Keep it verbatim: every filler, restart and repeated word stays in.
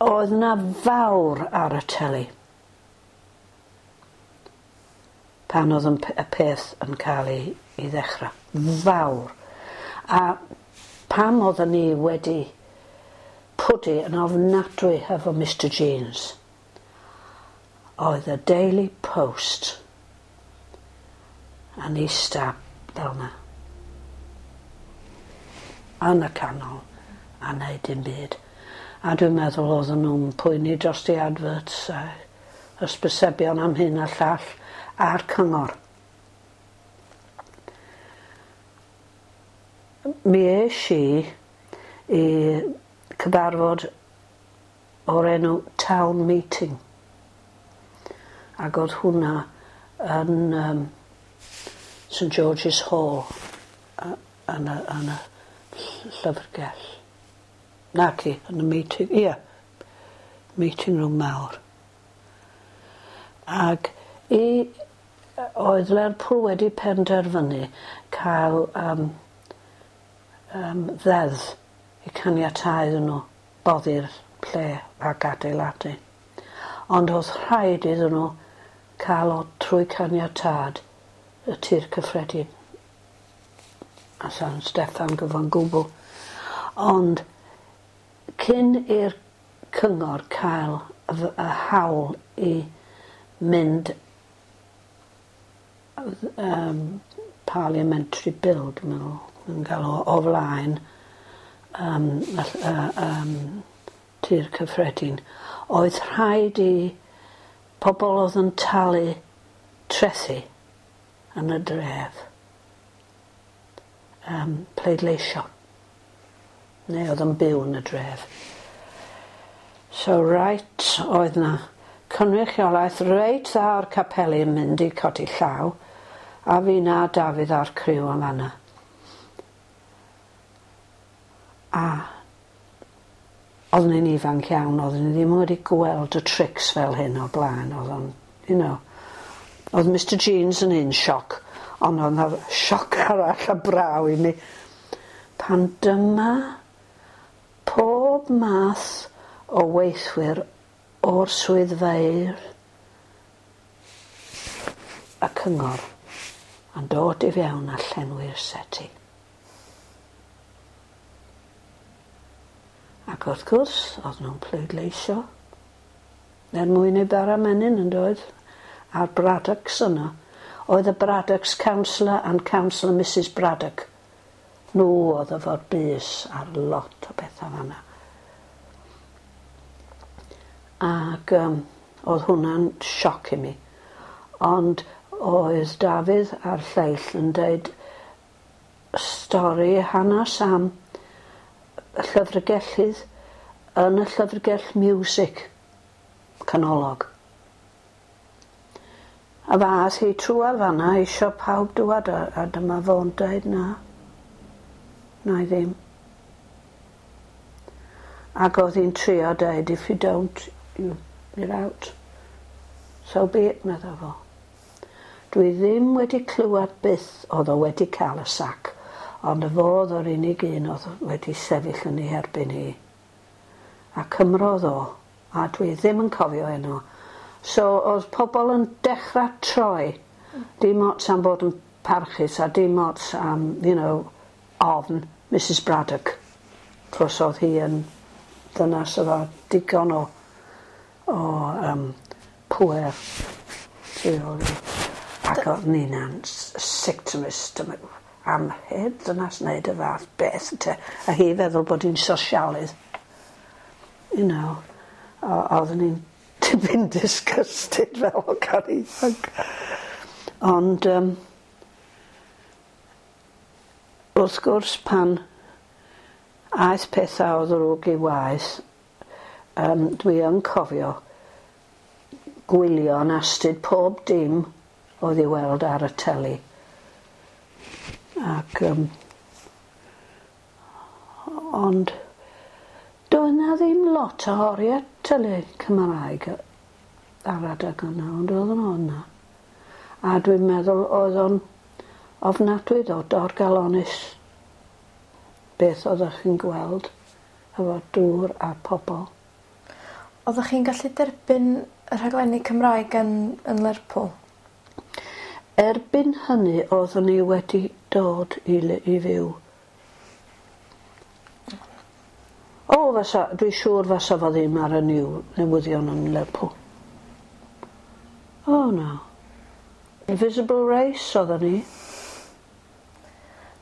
Oedd 'na fawr ar y teli pan oedd yn p- y peth yn cael ei ei ddechra. Fawr. A pam oedden ni wedi pwdu yn ofnadwy hefo Mister Jeans oedd y Daily Post yn ista fel 'na yn y canol a neud dim byd. A dwi'n meddwl oedden nw'n poeni dros the adverts a hysbysebion am hyn a llall a'r cyngor. Mi esh i i cyfarfod o'r enw Town Meeting. Ag o'dd hwnna yn yym St George's Hall yy yn y yn y ll- llyfrgell. Naci yn y meeting ia meeting room mawr. Ag i yy oedd Lerpwl wedi penderfynu ca'l yym yym ddeddf i caniatáu iddyn n'w boddi'r lle ag adeiladu. Ond o'dd rhaid iddyn n'w ca'l o trwy caniatâd y Tir Cyffredin a San Steffan gyfan gwbl. Ond cyn i'r cyngor cael y f- y hawl i mynd yym parliamentary bill dwi'n meddwl yn ga'l o o flaen yym y ll- y yym Tir Cyffredin oedd rhaid i pobol o'dd yn talu trethu yn y dref yym pleidleisio. Neu o'dd yn byw yn y dref. So reit oedd 'na cynrychiolaeth reit dda o'r capeli yn mynd i codi llaw a finna a Dafydd a'r criw yn fan 'na. A oddwn i'n ifanc iawn oddwn i ddim wedi gweld y trics fel hyn o'r blaen o'dd o'n you know o'dd Mister Jeans yn un sioc on' o'dd 'na sioc arall a braw i mi pan dyma pob math o weithwyr o'r swyddfeydd y cyngor yn dod i fewn a llenwi'r seti. Ac wrth gwrs o'dd nw'n pleidleisio er mwyn eu bara menyn yndoedd? A'r Braddocks yno oedd y Braddocks councillor and councillor Missus Braddock. Nhw oedd efo'r bys ar lot o betha fan 'na. Ag yym o'dd hwnna'n sioc i mi. Ond oedd Dafydd a'r lleill yn deud stori hanas am y llyfrgellydd yn y llyfrgell miwsig canolog. A fath hi trwadd fan 'na isio pawb dŵad a a dyma fo'n deud na. Na i ddim. Ac o'dd hi'n trio deud if you don't you you're out. So be it medda fo. Dwi ddim wedi clywad byth o'dd o wedi ca'l y sac ond y fo o'dd yr unig un o'dd wedi sefyll yn ei herbyn hi. A cymrodd o a dwi ddim yn cofio enw. So o'dd pobol yn dechra troi dim ots am bod yn parchus a dim ots am you know ofn Missus Braddock. 'Chos o'dd hi yn ddynas efo digon o o yym pŵer tu ôl iddi. Ac o'dd Nina'n s- sick to my stomach am heb ddynas neud y fath beth ynte? A hi feddwl bod 'i'n sosialydd. You know o- oddwn i'n tipyn disgusted fel hogan ifanc. Ond yym wrth gwrs pan aeth petha o ddrwg i waeth yym dwi yn cofio gwylio'n astud pob dim oedd i weld ar y teli. Ac yym ond doedd 'na ddim lot o orie tele Cymraeg ar adeg yna ond oedden nhw yna. A dwi'n meddwl oedd o'n ofnadwy ddo dorcalonnus beth oddech chi'n gweld efo dŵr a pobol. Oeddech chi'n gallu derbyn y rhaglenni Cymraeg yn yn Lerpwl? Erbyn hynny oeddwn i wedi dod i le i fyw. O fysa dwi siŵr fasa fo ddim ar y new newyddion yn Lerpwl. O na. Invisible Race oedden ni.